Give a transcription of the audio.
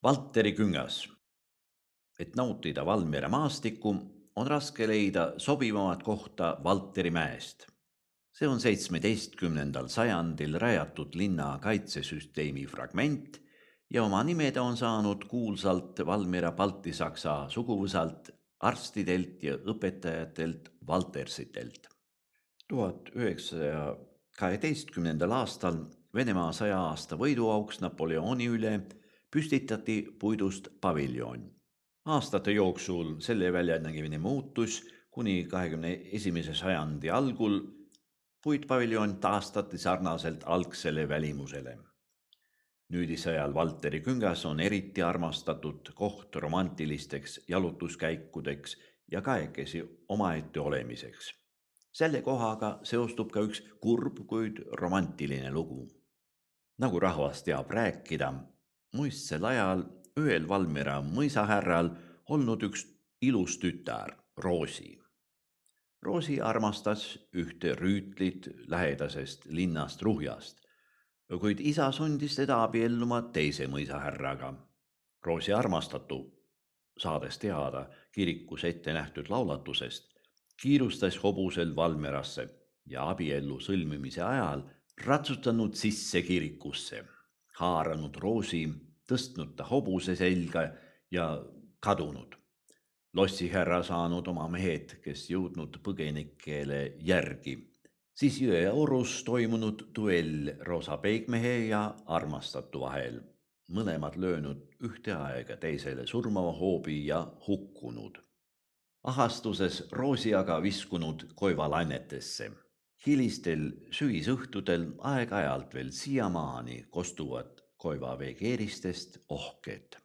Valteri küngas. Et nautida Valmiera maastikku, on raske leida sobivamat kohta Valteri mäest. See on 17. sajandil rajatud linna kaitsesüsteemi fragment ja oma nimede on saanud kuulsalt Valmiera baltisaksa suguvõsalt, arstidelt ja õpetajatelt Valtersitelt. 1912. aastal Venemaa 100 aasta võiduauks Napoleoni üle püstitati puidust paviljon. Aastate jooksul selle väljanägemine muutus, kuni 21. sajandi algul puitpaviljon taastati sarnaselt algsele välimusele. Nüüdisajal Valteri küngas on eriti armastatud koht romantilisteks jalutuskäikudeks ja kahekesi omaette olemiseks. Selle kohaga seostub ka üks kurb, kuid romantiline lugu. Nagu rahvas teab rääkida, muistsel ajal ühel Valmiera mõisahärral olnud üks ilus tütar, Roosi. Roosi armastas ühte rüütlit lähedasest linnast Ruhjast, kuid isa sundis teda abielluma teise mõisahärraga. Roosi armastatu, saades teada kirikus ette nähtud laulatusest, kiirustas hobusel Valmierasse ja abiellu sõlmimise ajal ratsutanud sisse kirikusse, haaranud Roosi, tõstnud ta hobuse selga ja kadunud. Lossihärra saanud oma mehed, kes jõudnud põgenikele järgi. Siis Jõeorus toimunud duell Roosa peigmehe ja armastatu vahel. Mõlemad löönud ühte aega teisele surmava hoobi ja hukkunud. Ahastuses Roosi aga viskunud koivalainetesse. Hilistel sügisõhtudel aeg-ajalt veel siiamaani kostuvad koivaveekeeristest ohked.